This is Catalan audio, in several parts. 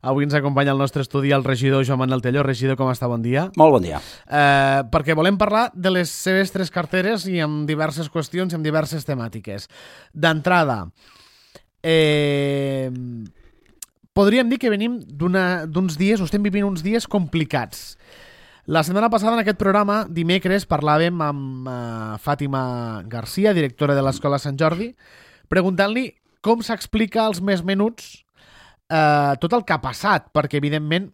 Avui ens acompanya al nostre estudi el regidor Joan Manuel Telló. Regidor, com està? Bon dia. Molt bon dia. Perquè volem parlar de les seves 3 carteres i amb diverses qüestions i amb diverses temàtiques. D'entrada, podríem dir que venim d'uns dies, o estem vivint uns dies complicats. La setmana passada en aquest programa, dimecres, parlàvem amb Fàtima Garcia, directora de l'Escola Sant Jordi, preguntant-li com s'explica als més menuts tot el que ha passat, perquè evidentment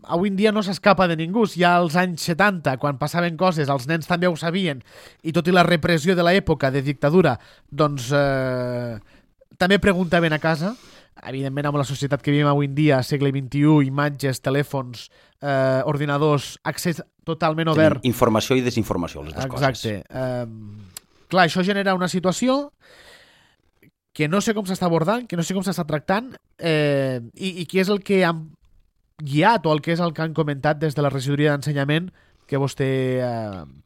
avui en dia no s'escapa de ningú. Ja als anys 70, quan passaven coses, els nens també ho sabien, i tot i la repressió de l'època de dictadura, doncs també preguntaven a casa. Evidentment, amb la societat que vivim avui en dia, segle XXI, imatges, telèfons, ordinadors, accés totalment obert. Tenim informació i desinformació, les dues coses. Exacte. Clar, això genera una situació que no sé com s'està abordant, que no sé com s'està tractant, i què és el que han guiat o el que és el que han comentat des de la regidoria d'ensenyament que vostè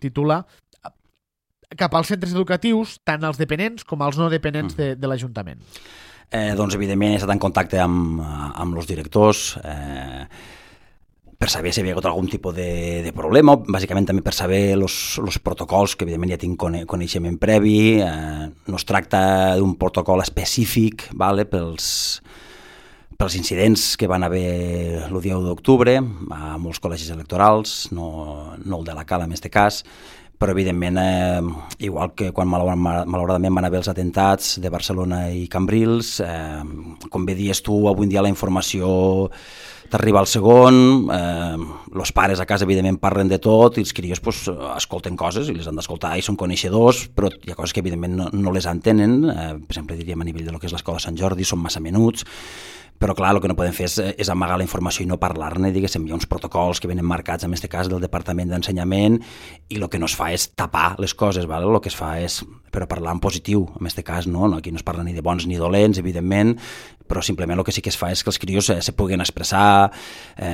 titula cap als centres educatius, tant els dependents com els no dependents de l'Ajuntament. Doncs evidentment he estat en contacte amb els directors per saber si hi havia hagut algun tipus de problema, bàsicament també per saber els protocols, que evidentment ja tinc coneixement previ. No es tracta d'un protocol específic, vale, pels incidents que van haver el dia 1 d'octubre a molts col·legis electorals, no el de la Cala en aquest cas, però evidentment, igual que quan malauradament van haver els atentats de Barcelona i Cambrils, com bé dius tu, avui en dia la informació t'arriba al segon, els pares a casa evidentment parlen de tot i els crios escolten coses i les han d'escoltar i són coneixedors, però hi ha coses que evidentment no les entenen. Per exemple, diríem a nivell de lo que és l'Escola Sant Jordi, són massa menuts, però clar, el que no podem fer és amagar la informació i no parlar-ne. Diguéssim, hi ha uns protocols que venen marcats, en aquest cas del Departament d'Ensenyament, i el que no es fa és tapar les coses, ¿vale? El que es fa és però parlar en positiu, en aquest cas, no? Aquí no es parla ni de bons ni dolents, evidentment, però simplement el que sí que es fa és que els crios se puguin expressar,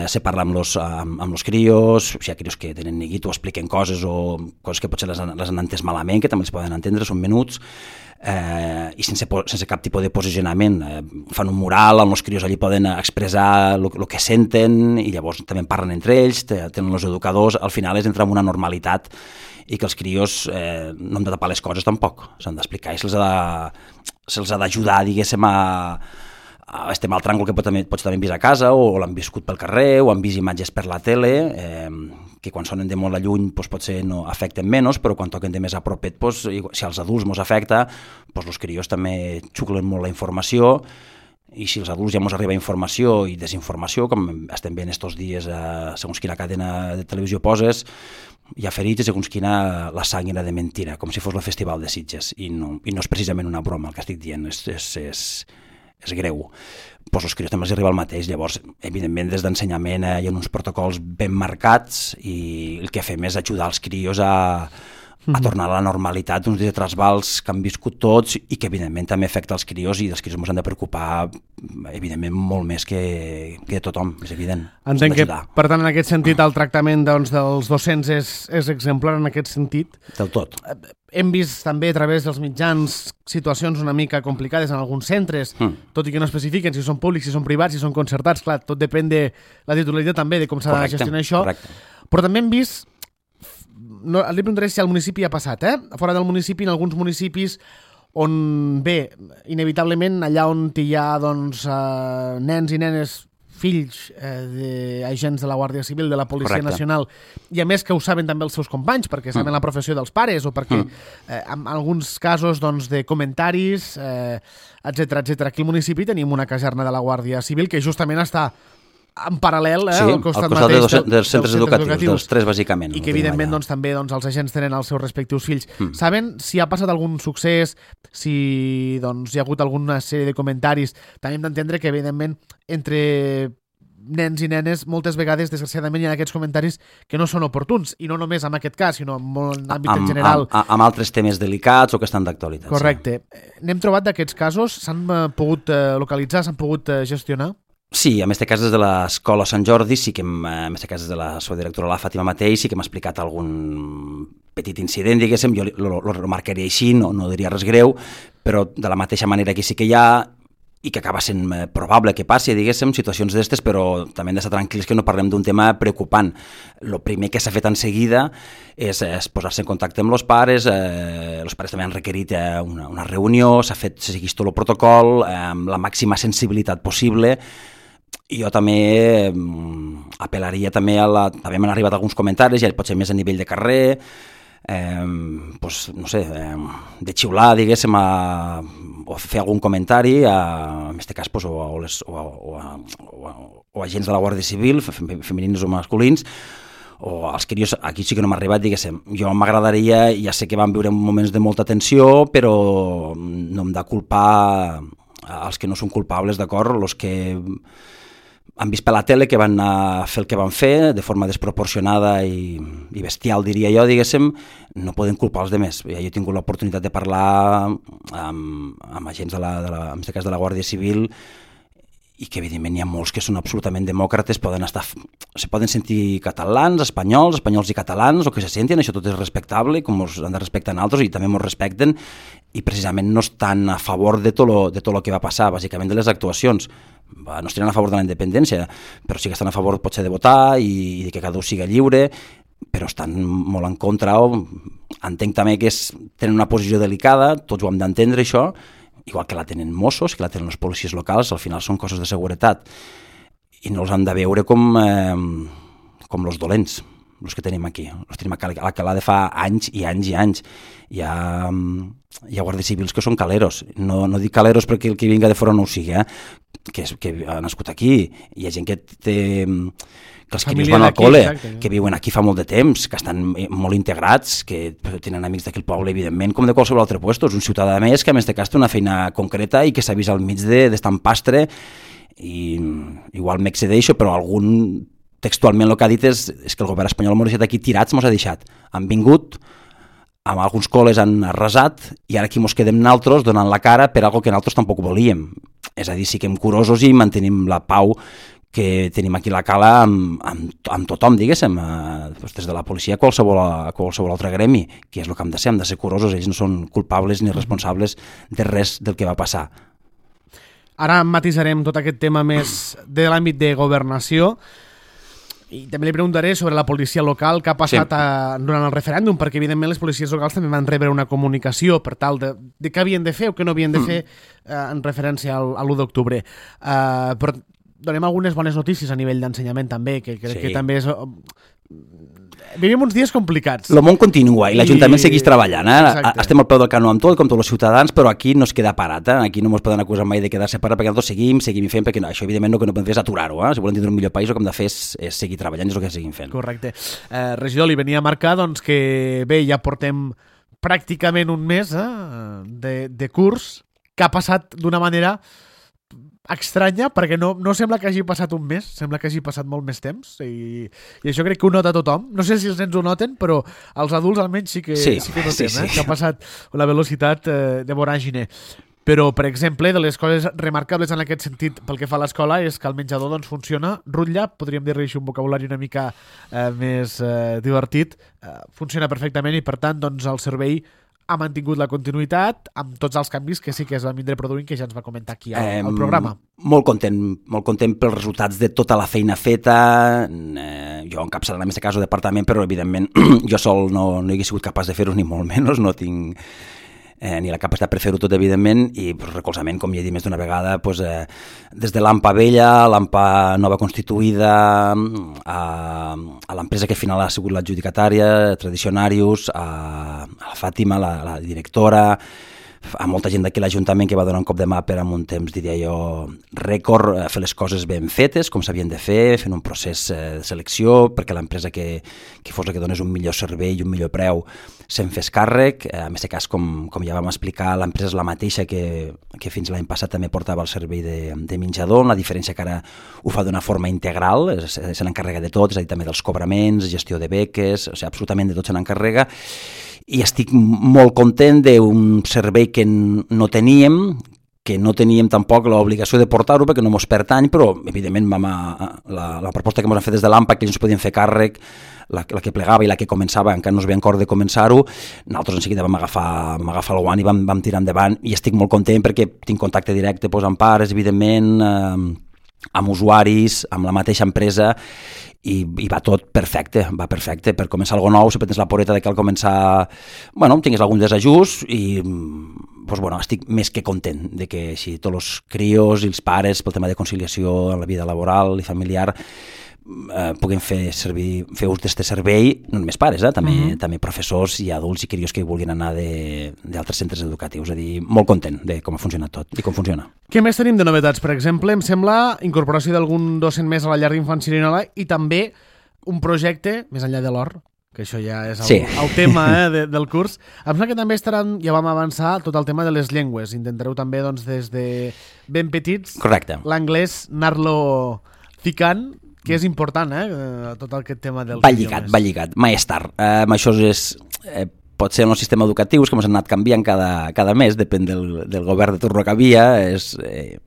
se parla amb els crios, si hi ha crios que tenen neguit o expliquen coses o coses que potser les han entès malament, que també els poden entendre, són menuts, i sense cap tipus de posicionament. Fan un mural on els crios allí poden expressar el que senten i llavors també parlen entre ells, tenen els educadors. Al final és entrar en una normalitat i que els crios no han de tapar les coses tampoc, s'han d'explicar i se'ls ha d'ajudar, diguéssim, a este mal tràngol que potser també han vist a casa o l'han viscut pel carrer o han vist imatges per la tele, que quan sonen de molt a lluny potser no afecten menys, però quan toquen de més a propet, si als adults ens afecta, els crios també xuclen molt la informació, i si als adults ja ens arriba informació i desinformació, com estem veient estos dies segons quina cadena de televisió poses, hi ha ferits i segons quina la sang era de mentira, com si fos el Festival de Sitges, i no és precisament una broma el que estic dient, és greu. Els crios també els arriba el mateix. Llavors, evidentment, des d'ensenyament hi ha uns protocols ben marcats i el que fem és ajudar els crios a tornar a la normalitat d'uns dies trasbals que han viscut tots i que evidentment també afecta els crios i els crios ens han de preocupar evidentment molt més que tothom, és evident. Entenc que, per tant, en aquest sentit el tractament dels docents és exemplar en aquest sentit. Del tot. Hem vist també a través dels mitjans situacions una mica complicades en alguns centres, tot i que no especifiquen si són públics, si són privats, si són concertats, clar, tot depèn de la titularitat també, de com s'ha de gestionar això. Correcte. Però també hem vist, no, li preguntaré si al municipi ha passat, fora del municipi, en alguns municipis on, bé, inevitablement allà on hi ha doncs, nens i nenes, fills d'agents de la Guàrdia Civil, de la Policia Nacional, i a més que ho saben també els seus companys, perquè saben la professió dels pares, o perquè en alguns casos doncs, de comentaris, etcètera. Aquí al municipi tenim una caserna de la Guàrdia Civil que justament està en paral·lel al costat mateix dels centres educatius, dels 3 bàsicament. I que evidentment doncs, també els agents tenen els seus respectius fills. Saben si ha passat algun succés, si doncs, hi ha hagut alguna sèrie de comentaris? També hem d'entendre que evidentment entre nens i nenes moltes vegades, desgraciadament, hi ha aquests comentaris que no són oportuns, i no només en aquest cas, sinó en l'àmbit en general. Amb altres temes delicats o que estan d'actualitat. Correcte. N'hem trobat d'aquests casos? S'han pogut localitzar, s'han pogut gestionar? Sí, en aquest cas des de l'Escola Sant Jordi, sí que en aquest cas des de la seva directora, la Fàtima mateix, sí que m'ha explicat algun petit incident, diguéssim, jo lo remarcaria així, no diria res greu, però de la mateixa manera que sí que hi ha, i que acaba sent probable que passi, diguéssim, situacions d'estes, però també hem d'estar tranquils que no parlem d'un tema preocupant. El primer que s'ha fet en seguida és posar-se en contacte amb els pares també han requerit una reunió, s'ha seguit tot el protocol, amb la màxima sensibilitat possible. Jo també apel·laria també també m'han arribat alguns comentaris, ja potser més a nivell de carrer, no sé, de xiular, diguéssim, o fer algun comentari, en aquest cas, o agents de la Guàrdia Civil, femenins o masculins, o els crios, aquí sí que no m'ha arribat, diguéssim. Jo m'agradaria, ja sé que van viure moments de molta tensió, però no hem de culpar els que no són culpables, d'acord? Els que han vist per la tele que van fer el que van fer de forma desproporcionada i bestial, diria jo, diguéssim, no poden culpar els demés. Jo he tingut l'oportunitat de parlar amb agents en aquest cas de la Guàrdia Civil i que evidentment hi ha molts que són absolutament demòcrates, se poden sentir catalans, espanyols i catalans, o que se sentin, això tot és respectable, com ens han de respectar altres, i també ens respecten, i precisament no estan a favor de tot el que va passar, bàsicament de les actuacions. No estaran a favor de la independència, però sí que estan a favor potser de votar i de que cada un siga lliure, però estan molt en contra, entenc també que tenen una posició delicada, tots ho hem d'entendre això, igual que la tenen Mossos, que la tenen les policies locals, al final són coses de seguretat, i no els han de veure com els dolents, els que tenim aquí. Els tenim a Alcalà de fa anys i anys i anys. Hi ha guàrdies civils que són caleros. No dic caleros perquè el que vinga de fora no ho sigui, que ha nascut aquí. Hi ha gent que els crios van al col·le, que viuen aquí fa molt de temps, que estan molt integrats, que tenen amics d'aquell poble, evidentment, com de qualsevol altre lloc. És un ciutadà més que, a més de cas, té una feina concreta i que s'ha vist al mig d'estar en pastre, i igual m'excedeixo, però algun textualment el que ha dit és que el govern espanyol m'ha deixat aquí tirats, m'ho ha deixat. Han vingut, amb alguns col·les han arrasat, i ara aquí mos quedem naltros donant la cara per algo que naltros tampoc volíem. És a dir, siguem curosos i mantenim la pau que tenim aquí a la cala amb tothom, diguéssim, des de la policia a qualsevol altre gremi, que és el que hem de ser curosos, ells no són culpables ni responsables de res del que va passar. Ara matisarem tot aquest tema més de l'àmbit de governació, i també li preguntaré sobre la policia local, què ha passat durant el referèndum, perquè evidentment les policies locals també van rebre una comunicació per tal de què havien de fer o què no havien de fer en referència a l'1 d'octubre. Però donem algunes bones notícies a nivell d'ensenyament també, que crec que també és... Vivim uns dies complicats. El món continua i l'Ajuntament segueix treballant. Estem al peu del canó amb tot, com tots els ciutadans, però aquí no es queda parat. Aquí no ens poden acusar mai de quedar-se parat, perquè nosaltres seguim fent, perquè això evidentment el que no podem fer és aturar-ho. Si volem tindre un millor país, el que hem de fer és seguir treballant, és el que seguim fent. Correcte. Regidor, li venia a marcar que bé, ja portem pràcticament un mes de curs, que ha passat d'una manera estranya, perquè no sembla que hagi passat un mes, sembla que hagi passat molt més temps, i això crec que ho nota tothom. No sé si els nens ho noten, però els adults almenys sí que ho notem, que ha passat la velocitat de voràgine. Però, per exemple, de les coses remarcables en aquest sentit pel que fa a l'escola és que el menjador funciona, rutlla, podríem dir-li així un vocabulari una mica més divertit, funciona perfectament, i per tant el servei ha mantingut la continuïtat amb tots els canvis que sí que es van vindre produint, que ja ens va comentar aquí al programa. Molt content pels resultats de tota la feina feta. Jo encapçalant en aquest cas el departament, però evidentment jo sol no he sigut capaç de fer-ho, ni molt menys, no tinc ni la capacitat per fer-ho tot, evidentment, i recolzament, com ja he dit més d'una vegada, des de l'AMPA vella, l'AMPA nova constituïda, a l'empresa que al final ha sigut l'adjudicatària, Tradicionarius, a la Fàtima, la directora, a molta gent d'aquí a l'Ajuntament que va donar un cop de mà per en un temps, diria jo, rècord, fer les coses ben fetes, com s'havien de fer, fent un procés de selecció, perquè l'empresa que fos la que donés un millor servei i un millor preu se'n fes càrrec. En aquest cas, com ja vam explicar, l'empresa és la mateixa que fins l'any passat també portava el servei de menjador, la diferència que ara ho fa d'una forma integral, se n'encarrega de tot, és a dir, també dels cobraments, gestió de beques, absolutament de tot se n'encarrega, i estic molt content d'un servei que no teníem, que no teníem tampoc l'obligació de portar-ho perquè no mos pertany, però evidentment la proposta que ens han fet des de l'AMPA, que ells podien fer càrrec, la que plegava i la que començava, encara no es veia en cor de començar-ho, nosaltres en seguida vam agafar el guant i vam tirar endavant, i estic molt content perquè tinc contacte directe amb pares, evidentment, amb usuaris, amb la mateixa empresa, i va tot perfecte, per començar alguna nou, sempre tens la poreta de que al començar, tingués algun desajust, i estic més que content de que així tots els crios i els pares, pel tema de conciliació en la vida laboral i familiar, puguem fer ús d'aquest servei, no només pares, també professors i adults i crios que vulguin anar d'altres centres educatius. És a dir, molt content de com ha funcionat tot i com funciona. Què més tenim de novetats? Per exemple, em sembla incorporació d'algun docent més a la llar d'infants Sirinola i també un projecte més enllà de l'or, que això ja és el tema del curs. Em sembla que també estaran, ja vam avançar, tot el tema de les llengües. Intentareu també, des de ben petits, l'anglès anar-lo ficant, que és important, tot aquest tema dels idiomes. Va lligat, mai és tard. Això pot ser en els sistemes educatius que ens han anat canviant cada mes, depèn del govern de torno que havia.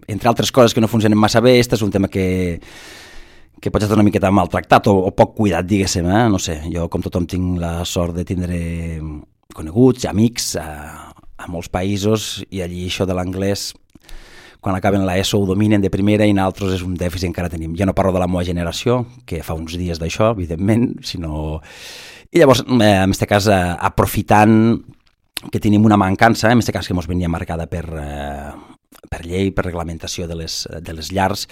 Entre altres coses que no funcionen massa bé, este és un tema que pot estar una miqueta maltractat o poc cuidat, diguéssim. No sé, jo com tothom tinc la sort de tindre coneguts i amics a molts països, i allí això de l'anglès, quan acaben l'ESO ho dominen de primera, i nosaltres és un dèficit encara tenim. Ja no parlo de la meva generació, que fa uns dies d'això, evidentment, sinó... I llavors, en aquest cas, aprofitant que tenim una mancança, en aquest cas que ens venia marcada per llei, per reglamentació de les llars,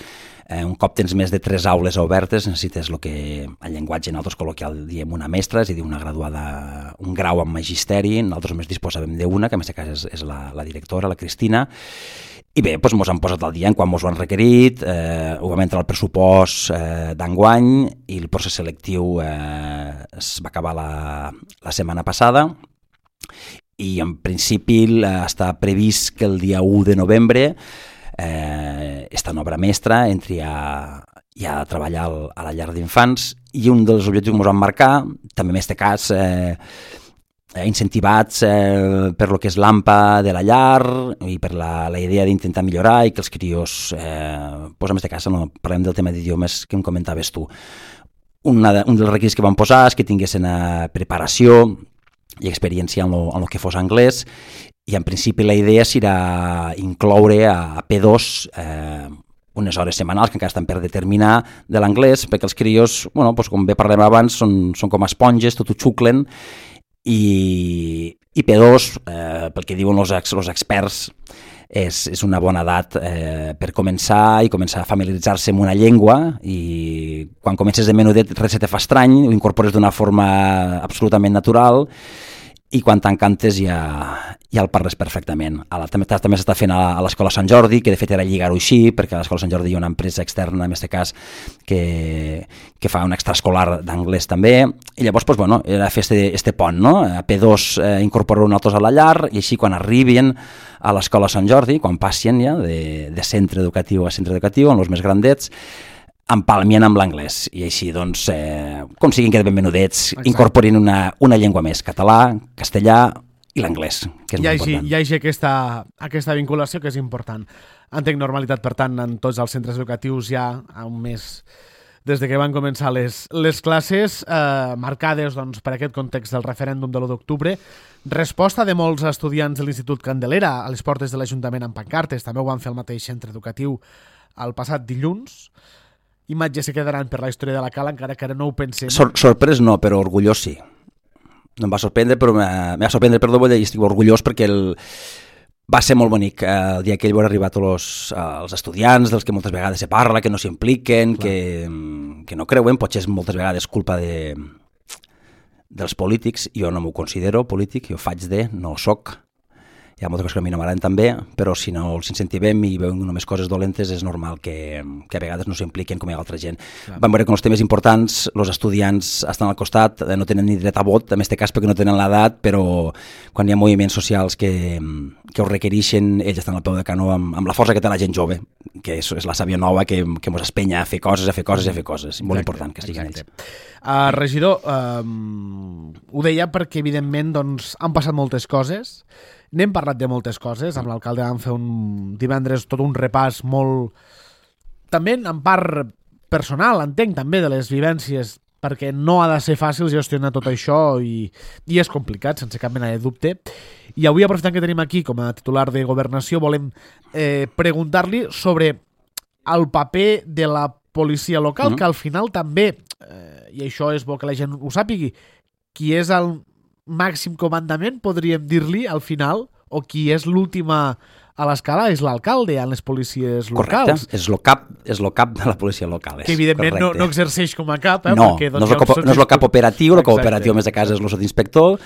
un cop tens més de 3 aules obertes, necessites el que en llenguatge nosaltres col·loquial diem una mestra, és a dir, una graduada, un grau en magisteri. Nosaltres només disposàvem d'una, que en aquest cas és la directora, la Cristina. I bé, ens han posat al dia en quan ens ho han requerit, ho vam entrar al pressupost d'enguany, i el procés selectiu es va acabar la setmana passada, i en principi està previst que el dia 1 de novembre esta nova mestra entri a treballar a la llar d'infants, i un dels objectius que ens van marcar, també en aquest cas, incentivats per lo que és l'AMPA de la llar i per la idea d'intentar millorar i que els crios, en aquest cas parlem del tema d'idiomes que em comentaves tu. Un dels requisits que van posar és que tinguessin preparació i experiència en el que fos anglès, i en principi la idea serà incloure a P2 unes hores setmanals que encara estan per determinar de l'anglès, perquè els crios, com bé parlem abans, són com esponges, tot ho xuclen, i P2, pel que diuen els experts, és una bona edat per començar a familiaritzar-se amb una llengua, i quan comences de menudet res se te fa estrany, ho incorpores d'una forma absolutament natural, i quan t'encantes ja el parles perfectament. També s'està fent a l'Escola Sant Jordi, que de fet era lligar-ho així, perquè a l'Escola Sant Jordi hi ha una empresa externa, en aquest cas, que fa un extraescolar d'anglès també, i llavors era fer este pont, a P2 incorporar nosaltres a la llar, i així quan arribin a l'Escola Sant Jordi, quan passin ja de centre educatiu a centre educatiu, amb els més grandets, empalmien amb l'anglès, i així com siguin que de ben menudets, incorporin una llengua més, català, castellà i l'anglès, que és molt important. Hi hagi aquesta vinculació, que és important. Entenc normalitat, per tant, en tots els centres educatius ja a un mes des que van començar les classes, marcades per aquest context del referèndum de l'1 d'octubre. Resposta de molts estudiants de l'Institut Candelera a les portes de l'Ajuntament amb pancartes, també ho van fer al mateix centre educatiu el passat dilluns. Imatges que quedaran per la història de la Cala, encara que ara no ho pensem. Sorprès no, però orgullós sí. No em va sorprendre, però vull dir, estic orgullós perquè va ser molt bonic el dia que ell va arribar a tots els estudiants, dels que moltes vegades se parla, que no s'hi impliquen, que no creuen, potser és moltes vegades culpa dels polítics. Jo no m'ho considero polític, jo no ho soc. Hi ha moltes coses que a mi no m'agraden també, però si no els incentivem i veuen només coses dolentes, és normal que a vegades no s'impliquen com hi ha altra gent. Vam veure que els temes importants, els estudiants estan al costat, no tenen ni dret a vot, en aquest cas perquè no tenen l'edat, però quan hi ha moviments socials que ho requereixen, ells estan al peu de canó amb la força que té la gent jove, que és la sàvia nova que ens espenya a fer coses. Molt important que estiguin ells. Regidor, ho deia perquè evidentment han passat moltes coses, N'hem parlat de moltes coses, amb l'alcalde vam fer divendres tot un repàs molt... També en part personal, entenc, també de les vivències, perquè no ha de ser fàcil gestionar tot això i és complicat, sense cap mena de dubte. I avui, aprofitant que tenim aquí com a titular de Governació, volem preguntar-li sobre el paper de la policia local, que al final també, i això és bo que la gent ho sàpigui, qui és el màxim comandament, podríem dir-li al final, o qui és l'última a l'escala és l'alcalde en les policies locals. Correcte, és el cap de la policia local. Que evidentment no exerceix com a cap. No, no és el cap operatiu, el cap operatiu més de casa és el sotsinspector,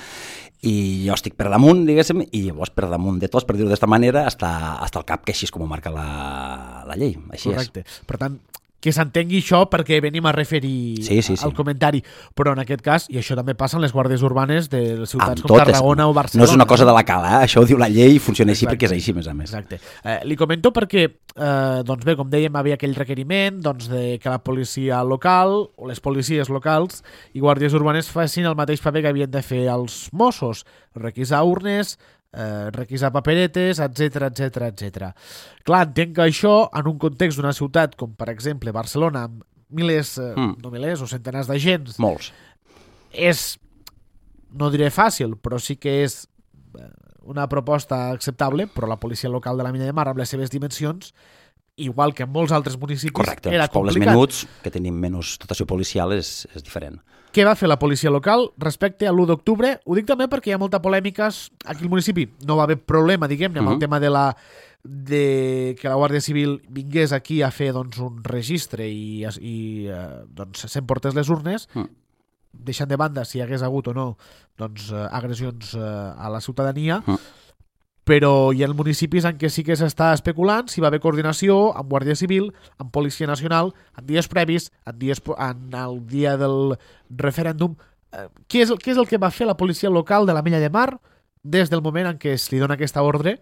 i jo estic per damunt, diguéssim, i llavors per damunt de tots, per dir-ho d'esta manera, hasta el cap, que així és com ho marca la llei. Així correcte. És. Per tant, que s'entengui això perquè venim a referir al comentari, però en aquest cas, i això també passa en les guàrdies urbanes de les ciutats com Tarragona o Barcelona. No és una cosa de la cala, això ho diu la llei i funciona així perquè és així, més a més. Exacte. Li comento perquè, doncs bé, com dèiem, havia aquell requeriment de que la policia local o les policies locals i guàrdies urbanes facin el mateix paper que havien de fer els Mossos, requisar urnes, requisar paperetes, etc. Clar, entenc que això, en un context d'una ciutat com, per exemple, Barcelona, amb milers, no milers, o centenars d'agents... Molts. És, no diré fàcil, però sí que és una proposta acceptable, però la policia local de la Mina de Mar, amb les seves dimensions, igual que en molts altres municipis, correcte, era complicat. Els pobles menuts, que tenim menys dotació policial, és diferent. Què va fer la policia local respecte a l'1 d'octubre? Ho dic també perquè hi ha molta polèmica. Aquí al municipi no va haver problema, diguem-ne, amb el tema de que la Guàrdia Civil vingués aquí a fer doncs, un registre i doncs, s'emportés les urnes, deixant de banda si hi hagués hagut o no doncs, agressions a la ciutadania, però hi ha municipis en què sí que s'està especulant si va haver coordinació amb Guàrdia Civil, amb Policia Nacional, en dies previs, en el dia del referèndum. Què és el que va fer la policia local de la Mina de Mar des del moment en què es li dona aquesta ordre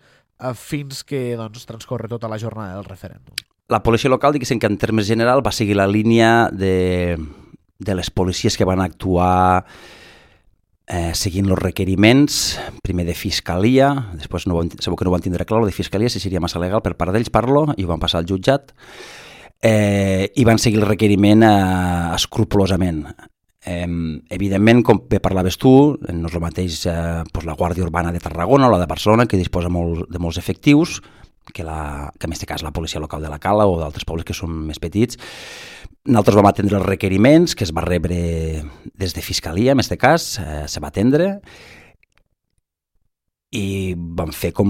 fins que doncs, transcorre tota la jornada del referèndum? La policia local, diguéssim que en termes general, va seguir la línia de les policies que van actuar seguint els requeriments, primer de Fiscalia, després segur que no ho van tindre clar, el de Fiscalia, si seria massa legal per part d'ells, i ho van passar al jutjat, i van seguir el requeriment escrupolosament. Evidentment, com bé parlaves tu, no és el mateix la Guàrdia Urbana de Tarragona o la de Barcelona, que disposa de molts efectius, que en aquest cas la policia local de la Cala o d'altres pobles que són més petits. Nosaltres vam atendre els requeriments que es va rebre des de Fiscalia, en aquest cas, se va atendre i vam fer com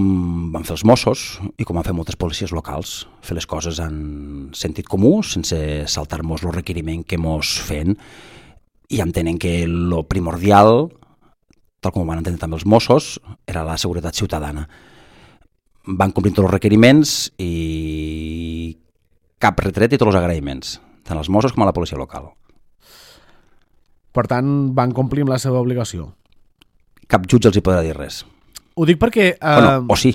van fer els Mossos i com van fer moltes policies locals, fer les coses en sentit comú, sense saltar-nos el requeriment que mos fent, i entenent que el primordial, tal com ho van entendre també els Mossos, era la seguretat ciutadana. Van complir tots els requeriments i cap retret i tots els agraïments, tant als Mossos com a la policia local. Per tant, van complir amb la seva obligació. Cap jutge els hi podrà dir res. Ho dic perquè... O sí,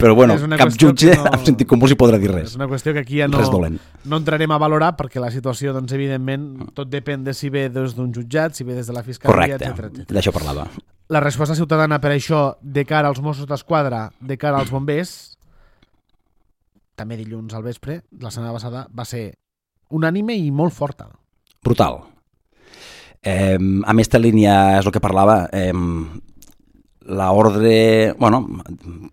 però cap jutge amb sentit comú els hi podrà dir res. És una qüestió que aquí ja no entrarem a valorar perquè la situació, doncs, evidentment, tot depèn de si ve des d'un jutjat, si ve des de la Fiscalia, etc. Correcte, d'això parlava. La resposta ciutadana per això, de cara als Mossos d'Esquadra, de cara als bombers, també dilluns al vespre, la setmana passada, va ser unànime i molt forta. Brutal. A aquesta línia és el que parlava, l'ordre,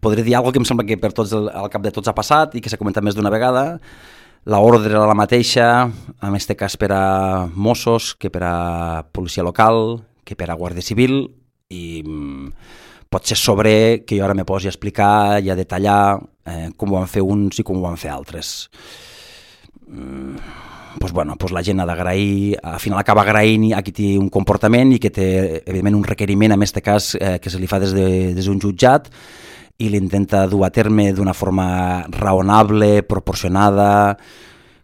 podré dir alguna que em sembla que al cap de tots ha passat i que s'ha comentat més d'una vegada. L'ordre era la mateixa, en aquest cas per a Mossos, que per a policia local, que per a Guàrdia Civil, i pot ser sobre que jo ara me posi a explicar i a detallar com ho van fer uns i com ho van fer altres. La gent ha d'agrair, al final acaba agraint a qui té un comportament i que té, evidentment, un requeriment, en aquest cas, que se li fa des d'un jutjat i l'intenta dur a terme d'una forma raonable, proporcionada,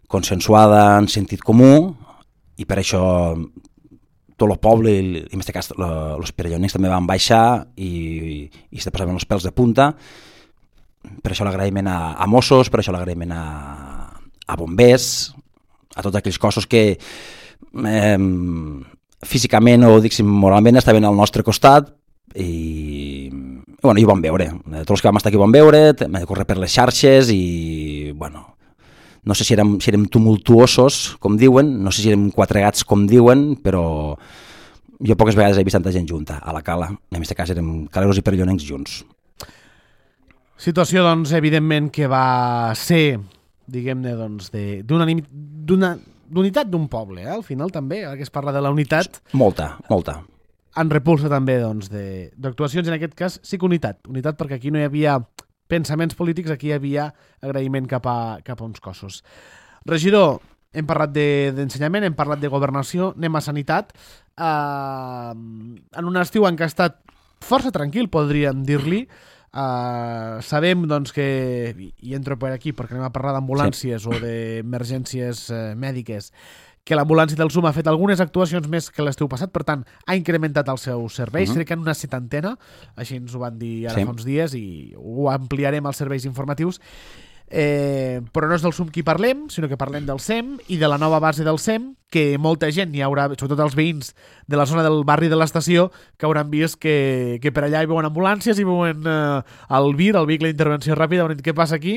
consensuada, en sentit comú, i per això tot el poble, i en aquest cas els perellonencs també van baixar i se passaven els pèls de punta. Per això l'agraïment a Mossos, per això l'agraïment a bombers, a tots aquells cossos que físicament o moralment estaven al nostre costat i bueno, i ho vam veure. Tots els que vam estar aquí ho vam veure, vam córrer per les xarxes i, bueno, no sé si érem tumultuosos, com diuen, no sé si érem quatre gats, com diuen, però jo poques vegades he vist tanta gent junta a la cala. En aquest cas érem caleros i perillonencs junts. Situació, doncs, evidentment que va ser, diguem-ne, doncs, d'unitat d'un poble, al final també, ara que es parla de la unitat. Molta. En repulsa també, doncs, d'actuacions, en aquest cas sí que unitat perquè aquí no hi havia pensaments polítics, aquí hi havia agraïment cap a uns cossos. Regidor, hem parlat d'ensenyament, hem parlat de governació, anem a sanitat. En un estiu en què ha estat força tranquil, podríem dir-li. Sabem, doncs, que, i entro per aquí perquè anem a parlar d'ambulàncies o d'emergències mèdiques, que l'ambulància del SUM ha fet algunes actuacions més que l'estiu passat, per tant, ha incrementat els seus serveis, crec que en una 70, així ens ho van dir ara fa uns dies, i ho ampliarem als serveis informatius. Però no és del SUM qui parlem, sinó que parlem del SEM i de la nova base del SEM, que molta gent hi haurà, sobretot els veïns de la zona del barri de l'estació, que hauran vist que per allà hi veuen ambulàncies, hi veuen el VIR, el vehicle d'intervenció ràpida, hauran dit què passa aquí,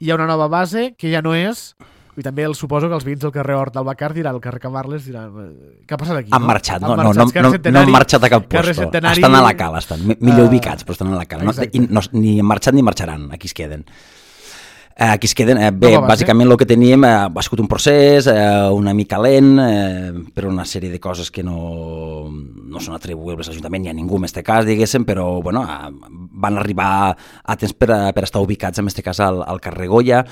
hi ha una nova base que ja no és. I també suposo que els veïns del carrer Hort del Bacar diran, al carrer Camarles diran, què ha passat aquí? Han marxat, no han marxat a cap lloc. Estan a la cala, estan millor ubicats, però estan a la cala. Ni han marxat ni marxaran, aquí es queden. Aquí es queden, bé, bàsicament el que teníem ha sigut un procés una mica lent per una sèrie de coses que no són atribuïbles a l'Ajuntament ni a ningú en aquest cas, diguéssim, però bueno, van arribar a temps per estar ubicats en aquest cas al carrer Goya.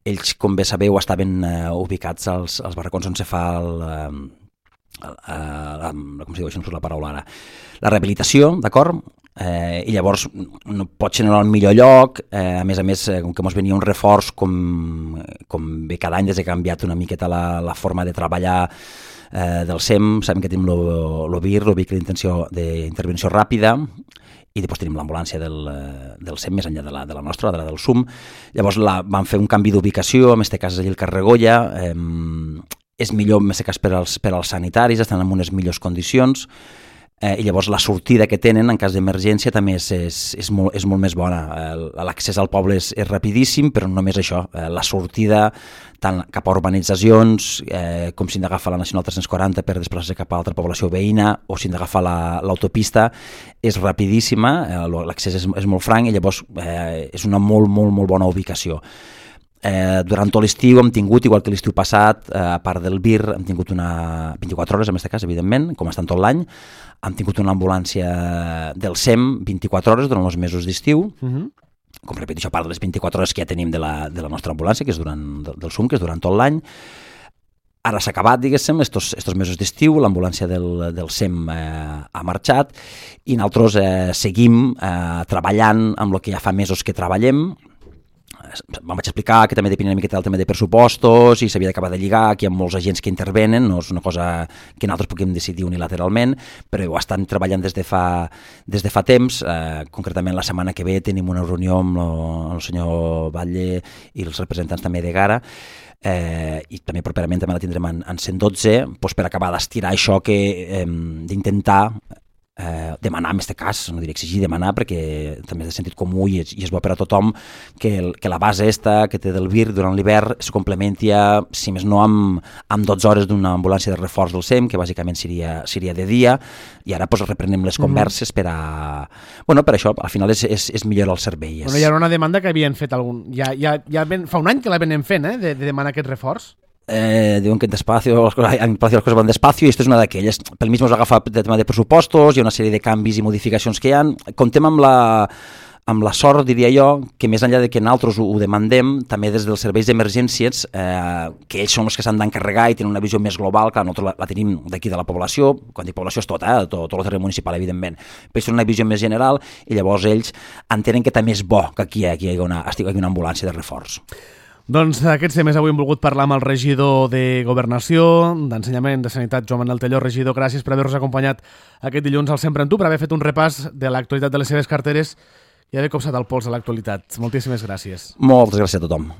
Ells, com bé sabeu, estaven ubicats als barracons on se fa com se diu, això no surt la paraula ara, la rehabilitació, d'acord? I llavors no pot ser en el millor lloc, a més, com que ens venia un reforç com bé cada any des que ha canviat una miqueta la forma de treballar del SEM, sabem que tenim el VIR, el vehicle d'intervenció ràpida, i després tenim l'ambulància del SEM més enllà de la nostra, de la del SUM. Llavors van fer un canvi d'ubicació, en aquest cas és allà el carrer Goya, és millor en aquest cas per als sanitaris, estan en unes millors condicions, i llavors la sortida que tenen en cas d'emergència també és molt més bona. L'accés al poble és rapidíssim, però no només això, la sortida tant cap a urbanitzacions com si hem d'agafar la Nacional 340 per desplaçar-se cap a altra població veïna o si hem d'agafar l'autopista, és rapidíssima, l'accés és molt franc i llavors és una molt bona ubicació. Durant tot l'estiu hem tingut, igual que l'estiu passat, a part del VIR, hem tingut una 24 hores, en aquest cas, evidentment, com estan tot l'any, hem tingut una ambulància del SEM 24 hores durant els mesos d'estiu, com repeteixo, a part de les 24 hores que ja tenim de la nostra ambulància, que és del SUM, que és durant tot l'any. Ara s'ha acabat, diguéssim, estos mesos d'estiu, l'ambulància del SEM ha marxat i nosaltres seguim treballant amb el que ja fa mesos que treballem. Vam explicar que també depèn una miqueta del tema de pressupostos i s'havia d'acabar de lligar, que hi ha molts agents que intervenen, no és una cosa que nosaltres puguem decidir unilateralment, però ho estan treballant des de fa temps. Concretament la setmana que ve tenim una reunió amb el senyor Batlle i els representants també de Gara, i també properament també la tindrem en 112 per acabar d'estirar això d'intentar demanar, en aquest cas, no diré exigir, demanar, perquè també és de sentit comú i és bo per a tothom que la base que té del VIR durant l'hivern es complementi, si més no, amb 12 hores d'una ambulància de reforç del SEM, que bàsicament seria de dia, i ara reprenem les converses per a... Bueno, per això, al final és millorar el servei. Bueno, hi ha una demanda que havien fet fa un any que la venem fent, de demanar aquest reforç. Diuen que en Palacio las cosas van despacio i esto és una d'aquelles. Pel mig ens agafa el tema de pressupostos, hi ha una sèrie de canvis i modificacions que hi ha. Comptem amb la sort, diria jo, que més enllà de que nosaltres ho demandem, també des dels serveis d'emergències, que ells són els que s'han d'encarregar i tenen una visió més global, que nosaltres la tenim d'aquí de la població, quan dic població és tot el terreny municipal, evidentment, però és una visió més general i llavors ells entenen que també és bo que aquí hi hagi una ambulància de reforç. Doncs d'aquests temes avui hem volgut parlar amb el regidor de Governació, d'Ensenyament, de Sanitat, Joan Manel Telló. Regidor, gràcies per haver-nos acompanyat aquest dilluns al Sempre en Tu, per haver fet un repàs de l'actualitat de les seves carteres i haver copsat el pols de l'actualitat. Moltíssimes gràcies. Moltes gràcies a tothom.